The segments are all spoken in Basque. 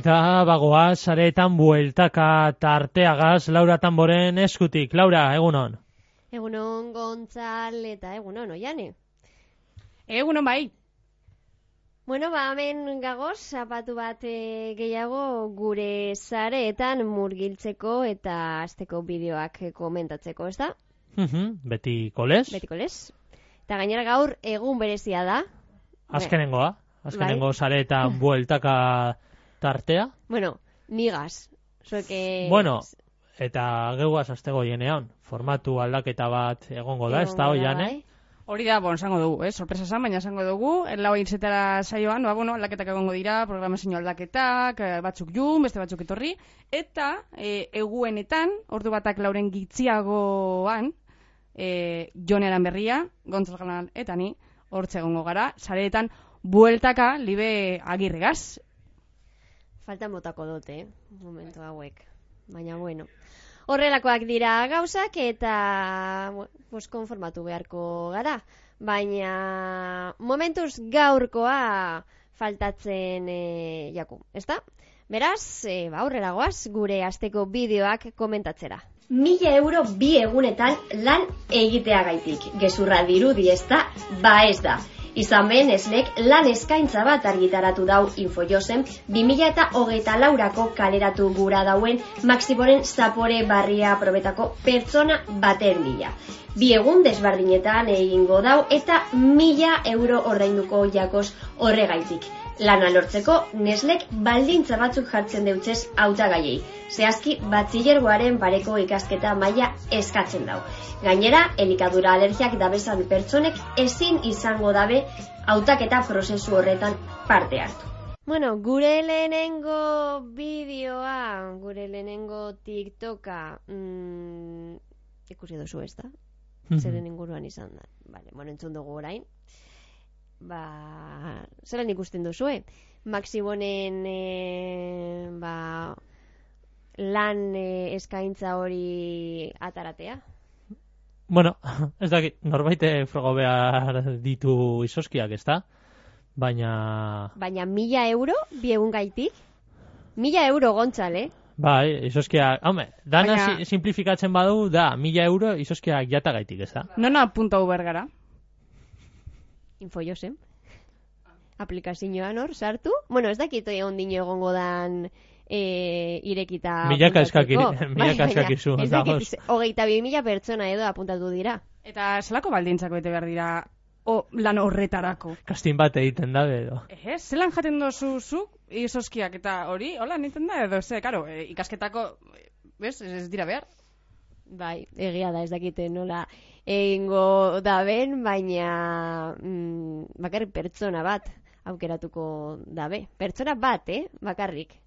Eta bagoaz, sareetan bueltaka tarteagaz, Laura Tamboren eskutik. Laura, egunon. Egunon Gontzal eta egunon Oiane. Egunon bai. Bueno, hemen gagoz, zapatu bat gehiago gure sareetan murgiltzeko eta asteko bideoak komentatzeko, ez da? Beti kolez. Beti kolez. Eta gainera gaur egun berezia da. Azkenengoa. Azkenengo sareetan bueltaka tartea. Bueno, nigaz. Bueno, eta geuaz aztego jenean. Formatu aldaketa bat egongo da, ez da Oiane? Hori da, esango dugu, sorpresa zan, baina esango dugu, lau hitzetara saioan, aldaketak egongo dira, programazio aldaketak, batzuk jun, beste batzuk etorri, eta eguenetan, ordu batak lauren gitziagoan, Jonearan berria, Gontzal Galan eta ni, hortze egongo gara, sareetan, bueltaka, libe agirregaz. Faltan botako dute, momentu hauek, baina bueno. Horrelakoak dira gauzak eta konformatu beharko gara. Baina momentuz gaurkoa faltatzen jaku, ezta? Beraz, aurrera goaz gure asteko bideoak komentatzera. 1.000 euro 2 egunetan lan egiteagaitik. Gezurra dirudi ezta, ez da. Izan behen Neslek lan eskaintza bat argitaratu dau Infojosen 2024ko kaleratu gura dauen Maxiboren zapore barria probetako pertsona baten bila. 2 egun desbardinetan egingo dau eta 1.000 euro ordainduko jakos horregaitik. Lana lortzeko Neslek baldintza batzuk jartzen deutzez hautagaiei. Zehazki batxilergoaren pareko ikasketa maila eskatzen dau. Gainera, elikadura alergiak dabezan pertsonek ezin izango dabe hautaketa prozesu horretan parte hartu. Bueno, gure lehenengo bideoa, gure lehenengo TikToka ikusi duzu ez da? Zeren inguruan izan da. Vale, entzun dugu orain. Zeran ikusten duzue? Maxibonen lan eskaintza hori ataratea? Bueno, ez dakit, norbaite frogo behar ditu izoskiak, ez da? Baina 1.000 euro, 2 egun gaitik? 1.000 euro Gontzal, Bai, izoskiak, dana simplifikatzen badu, da, 1.000 euro izoskiak jatagaitik, ez da? Nona puntau bergara? Infojosen. Aplikazioan hor, sartu? Bueno, ez dakit ondino egongo dan irekita milaka eskakizu. 22.000 pertsona edo apuntatu dira. Eta zelako baldintzako bete behar dira lan horretarako? Kastin bat egiten da, edo. Zelan jaten dozu zu izoskiak eta hori, hola, nintzen da, edo karo, ikasketako, ez dira behar? Bai, egia da, ez dakite nola egingo daben, baina bakarrik pertsona bat aukeratuko dabe. Pertsona bat, bakarrik.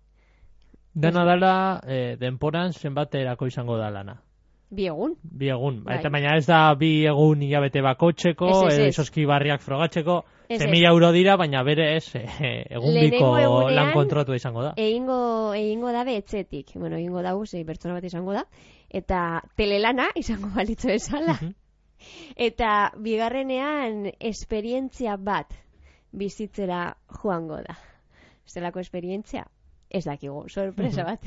Dena dala, denporan zenbat erako izango da lana. 2 egun. 2 egun. Eta baina ez da 2 egun hilabete bakotzeko, ezoski barriak frogatzeko, 1.000 euro dira, baina bere ez egun biko lan kontratua izango da. Egingo dabe etxetik. Bueno, egingo dago, pertsona bat izango da. Eta telelana izango balitzu bezala. Eta bigarrenean esperientzia bat bizitzera joango da. Zelako esperientzia? Ez dakigu, sorpresa bat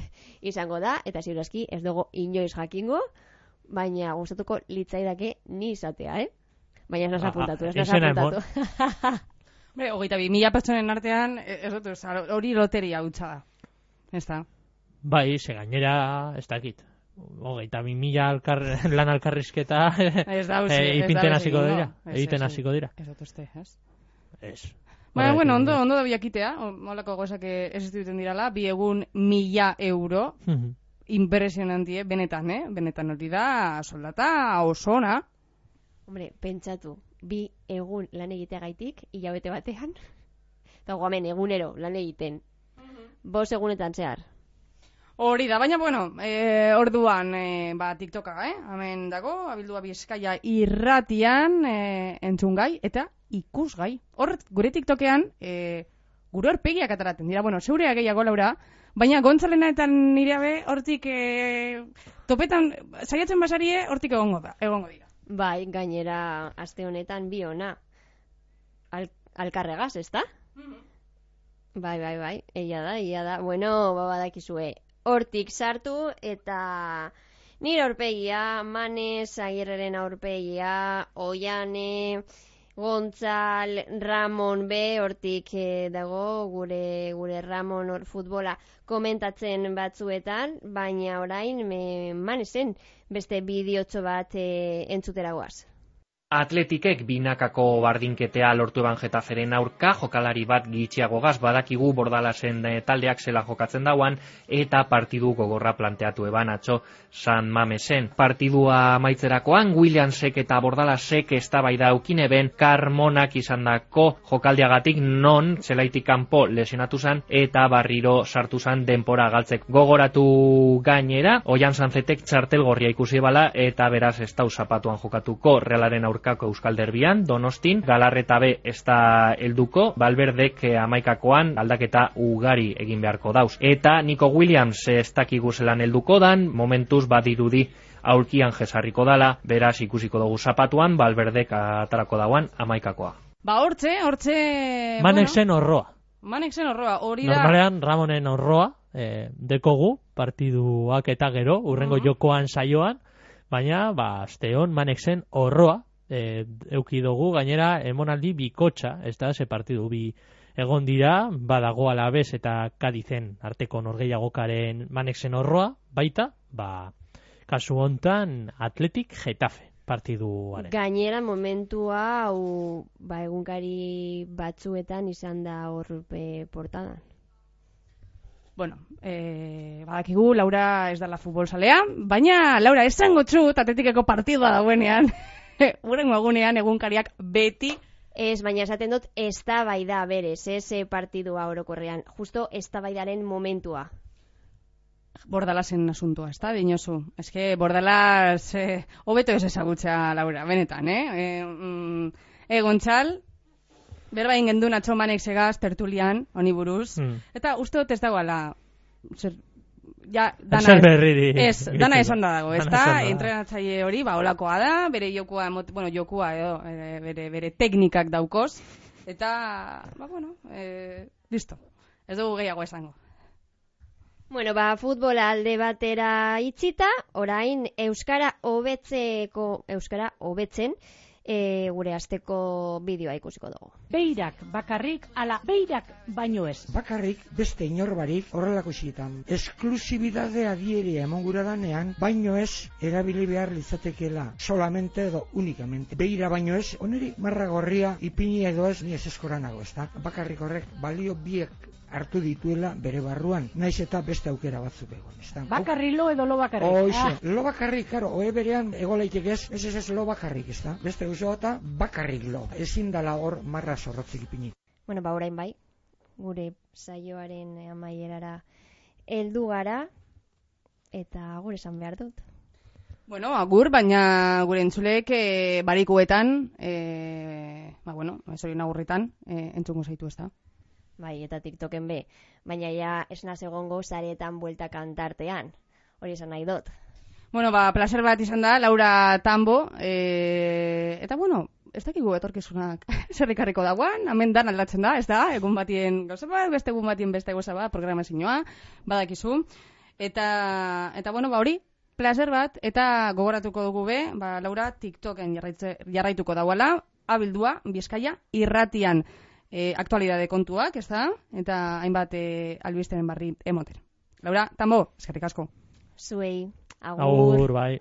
izango da, eta ziurazki ez dugu inoiz jakingo, baina gustatuko litzaidake ni izatea, Baina ez nasa apuntatu, Hombre, 22.000 pertsonen artean, hori loteria hutsa da. Ez da? Bai, ze gainera, ez dakit. 22.000 lan alkarrizketa ipinten hasiko dira. Egiten hasiko dira. Ez dut uste, ez? Ez. Baina, bueno, ondo da biakitea, molako gozak ez dituten dirala, 2 egun 1.000 euro, impresionantie, benetan, benetan hori da, soldata osona. Hombre, pentsatu, 2 egun lan egiteagaitik, hilabete batean, eta guamen egunero lan egiten, 5 egunetan zehar. Hori da, baina, bueno, orduan, TikToka, hemen dago, abildua Bizkaia irratian, entzungai, eta ikusgai. Hor, gure TikTokean, gure horpegiak ataraten dira, bueno, zeurea gehiago, Laura, baina Gontzalena eta nireabe hortik topetan, saiatzen basarie, hortik egongo dira. Bai, gainera, aste honetan bi ona, alkarregaz, ez da? Bai, egia da. Bueno, badakizue, hortik sartu eta nire aurpegia, Manes, Agirreren aurpegia, Oiane, Gontzal, Ramon B, hortik dago gure Ramon hor futbola komentatzen batzuetan, baina orain Manesen beste bideotxo bat entzutera goaz. Atletikek binakako bardinketea lortu eban Getaferen aurka, jokalari bat gitxiagogaz badakigu Bordalasen taldeak zela jokatzen dauan, eta partidu gogorra planteatu eban atzo San Mamesen. Partidua amaitzerakoan, Williamsek eta Bordalasek eztabaida aukine ben Carmonak izandako jokaldiagatik non zelaitik kanpo lesionatu zan eta barriro sartu zan denpora galtzek. Gogoratu gainera, Oian Sanzetek txartel gorria ikusi bala eta beraz ez dau zapatuan jokatuko Realaren aurka Euskal Derbian, Donostin, Galarreta B ez da helduko, Valverdek amaikakoan aldaketa ugari egin beharko dauz. Eta Nico Williams ez dakigu zelan helduko dan, momentuz badirudi aurkian jesarriko dala, beraz ikusiko dugu zapatuan, Valverdek atarako dauan amaikakoa. Hortxe... Manexen horroa. Hori da... Normalean, Ramonen horroa, dekogu, partiduak eta gero, urrengo jokoan saioan, baina, asteon Manexen horroa, euki dugu, gainera emonaldi bikotxa, ez da, ze partidu bi egon dira, badago Alabez eta Kadizen arteko norgehiagokaren Manexen horroa, baita, kasu hontan Atletik Getafe partiduaren. Gainera momentua hau egunkari batzuetan izan da hor portadan. Bueno, badakigu Laura ez dela futbolzalea, baina Laura esango txut Atletikeko partidua dauenean, urrengo egunean egunkariak beti... Ez, baina esaten dut eztabaida berez, partidua orokorrean, justo eztabaidaren momentua. Bordalasen asuntua, ez da, dinosu. Ez que Bordalas hobeto ez ezagutza, Laura, benetan, Gontzal, berba ingendun atzo Manek segaz tertulian, honi buruz, eta uste dut ez dagoela... dana esan da dago, ez da, entrenatzaile hori, olakoa da, bere jokua edo, bere teknikak daukoz, eta, listo, ez dugu gehiago esango. Bueno, futbola alde batera itxita, orain euskara hobetzen, gure asteko bideoa ikusiko dugu. Beirak bakarrik, ala beirak baino ez. Bakarrik beste inorbarik horrelako xietan. Esklusibidadea dieria emongura danean, baino ez erabili behar litzatekeela. Solamente edo unikamente. Beira baino ez, oneri marra gorria ipini edo ez, ni ez eskoranago, ez da? Bakarrik horrek balio biek hartu dituela bere barruan, naiz eta beste aukera batzuk egon, ez da? Bakarri lo edo lo bakarrik? Lo bakarrik, karo, oe berean egolaitek ez lo bakarrik, ez da? Beste guztua eta bakarrik lo. Ezin dala hor marra zorrotzik ipini. Bueno, orain bai, gure saioaren amaierara heldu gara, eta gure esan behar dut. Bueno, agur, baina gure entzulek barikuetan, esorin agurritan, entzungo zaitu ez da? Bai, eta TikToken be, baina ja esnaz egongo zaretan buelta kantartean. Hori esan nahi dut. Bueno, placer bat izan da, Laura Tambo, eta ez dakigu etorkizunak zerrikarriko dagoan, hemen dan aldatzen da, ez da, egun batien gauza bat, beste egun batien beste gauza bat, programazioa, badakizu, eta hori, placer bat, eta gogoratuko dugu be, Laura TikToken jarraituko dagoela, abildua, Bizkaia, irratian, aktualidade kontuak, ez da? Eta hainbat albisteren barri emoten. Laura, Tambo, eskerrik asko. Zuei, agur. Agur, bai.